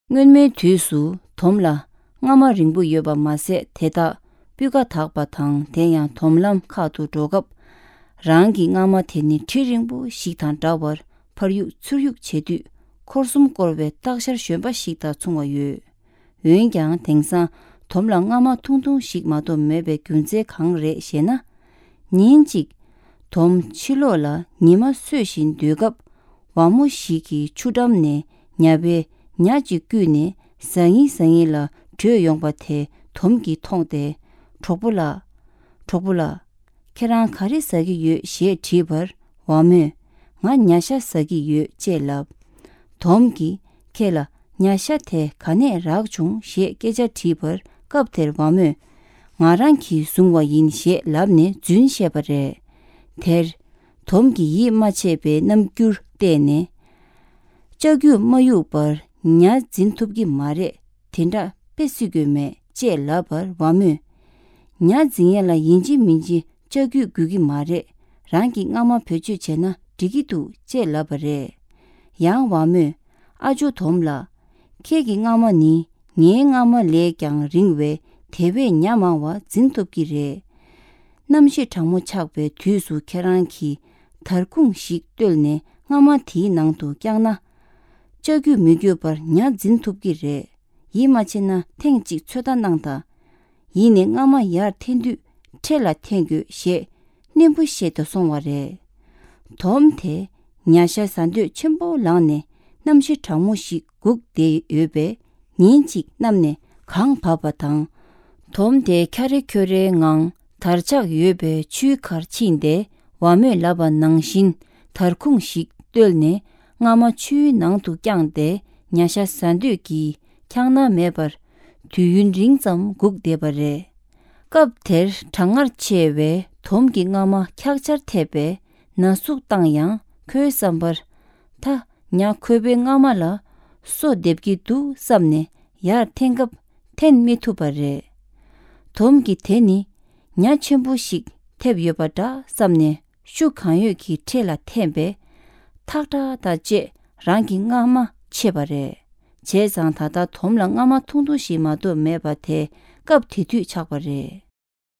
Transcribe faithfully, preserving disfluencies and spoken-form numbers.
སྔོན་མའི་དུས་སུ་དོམ་ལ་རྔ་མ་རིང་པོ་ཡོད་པ་མ་ཟད། དེ་དག་སྤུས་ཀ་དག་པ་དང་། དེ་ཡང་དོམ་ལམ་ཁག་ཏུ་འགྲོ་སྐབས། རང་གི་རྔ་མ་དེ་ནི་གྲི་རིང་པོ་ཞིག་དང་འདྲ་བར་ཕར་གཡུག་ཚུར་གཡུག་བྱེད་དུས། འཁོར་གསུམ་བསྐོར་བའི་སྟག་ཤར་གཞོན་པ་ཞིག་དང་མཚུངས་པ་ཡོད། འོན་ཀྱང་། དེང་སང་དོམ་ལ་རྔ་མ་ཐུང་ཐུང་ཞིག་མ་གཏོགས་མེད་པའི་རྒྱུ་མཚན་གང་རེད་ཞེ་ན། ཉིན་གཅིག་དོམ་ཕྱི་ལོགས་ལ་ཉི་མ་སྲོས་བཞིན་སྡོད་སྐབས། ཝ་མོ་ཞིག་གིས་ཆུ་འགྲམ་ནས་ཉ་པའི་ཉ་ཅིག་བརྐུས་ནས་ཟ་ཡིན་ཟ་ཡིན་ལ་བྲོས་ཡོང་པ་དེ་དོམ་གྱིས་མཐོང་སྟེ། གྲོགས་པོ་ལགས། གྲོགས་པོ་ལགས། ཁྱེད་རང་ག་རེ་ཟ་གི་ཡོད་ཞེས་དྲིས་པར། ཝ་མོས། ང་ཉ་ཤ་ཟ་གི་ཡོད་ཅེས་ལབ། དོམ་གྱིས། ཁྱེད་ལ་ཉ་ཤ་དེ་ག་ནས་རག་བྱུང་ཞེས་སྐད་ཆ་དྲིས་པར། སྐབས་དེར་ཝ་མོས། ང་རང་གིས་བཟུང་བ་ཡིན་ཞེས་ལབ་ནས་རྫུན་བཤད་པ་རེད། དེར་དོམ་གྱིས་ཡིད་མ་ཆེས་པའི་རྣམ་འགྱུར་བསྟན་ནས། ལྕགས་ཀྱུས་མ་གཡུགས་པར་ཉ་འཛིན་ཐུབ་ཀྱི་མ་རེད། དེ་འདྲ་དཔེ་སྲིད་དགོས་མེད་ཅེས་ལབ་པར། ཝ་མོས། ཉ་འཛིན་ཡས་ལ་ཡིན་གཅིག་མིན་གཅིག་ལྕགས་ཀྱུས་དགོས་ཀྱི་མ་རེད། རང་གི་རྔ་མ་བེད་སྤྱོད་བྱས་ན་འགྲིག་གི་འདུག་ཅེས་ལབ་པ་རེད། ཡང་ཝ་མོས། ཨ་ཇོ་དོམ་ལགས། ཁྱེད་ཀྱི་རྔ་མ་ནི་ངའི་རྔ་མ་ལས་ཀྱང་རིང་བས། དེ་བས་ཉ་མང་བ་འཛིན་ཐུབ་ཀྱི་རེད། གནམ་གཤིས་གྲང་མོ་ཆགས་པའི་དུས་སུ་ཁྱེད་རང་གིས་དར་ཁུང་ཞིག་བརྟོལ་ནས་རྔ་མ་དེའི་ནང་དུ་བརྐྱངས་ན། ལྕགས་ཀྱུས་མི་དགོས་པར་ཉ་འཛིན་ཐུབ་ཀྱི་རེད། ཡིད་མ་ཆེས་ན་ཐེངས་གཅིག་ཚོད་ལྟ་གནང་དང་། ཡིན་ནའི་རྔ་མ་ཡར་འཐེན་དུས་ཁྲེ་ལ་འཐེན་དགོས་ཞེས་སྙན་པོ་བཤད་དུ་སོང་བ་རེད། དོམ་དེ་ཉ་ཤ་ཟ་འདོད་ཆེན་པོ་ལངས་ནས་གནམ་གཤིས་གྲང་མོ་ཞིག་སྒུག་བསྡད་ཡོད་པས། ཉིན་གཅིག་གནམ་ནས་གངས་བབས་པ་དང་། དོམ་དེ་འཁྱར་རེ་འཁྱོར་རེའི་ངང་དར་ཆགས་ཡོད་པའི་ཆུའི་ཁར་ཕྱིན་ཏེ། ཝ་མོས་ལབ་པ་ནང་བཞིན་དར་ཁུང་ཞིག་བརྟོལ་ནས་རྔ་མ་ཆུའི་ནང་དུ་བརྐྱངས་ཏེ་ཉ་ཤ་ཟ་འདོད་ཀྱིས་འཁྱག་སྣང་མེད་པར་དུས་ཡུན་རིང་ཙམ་སྒུག་བསྡད་པ་རེད། སྐབས་དེར་གྲང་ངར་ཆེ་བས་དོམ་གྱི་རྔ་མ་འཁྱག་ཆར་ཐེབས་པས་ན་ཟུག་བཏང་ཡང་། ཁོའི་བསམ་པར། ད་ཉ་ཁོ་པའི་རྔ་མ་ལ་སོ་འདེབས་ཀྱི་འདུག་བསམ་ནས་ཡར་འཐེན་སྐབས་འཐེན་མི་ཐུབ་པ་རེད། དོམ་གྱིས་དེ་ནི་ཉ་ཆེན་པོ་ཞིག་ཐེབས་ཡོད་པ་འདྲ་བསམ་ནས། ཤུགས་གང་ཡོད་ཀྱིས་ཁྲེ་ལ་འཐེན་པས། ཐག་ཁྲ་དང་བཅས་རང་གི་རྔ་མ་ཆད་པ་རེད། བྱས་ཙང་ད་ལྟ་དོམ་ལ་རྔ་མ་ཐུང་ཐུང་ཞིག་མ་གཏོགས་མེད་པ་དེ་སྐབས་དེ་དུས་ཆགས་པ་རེད།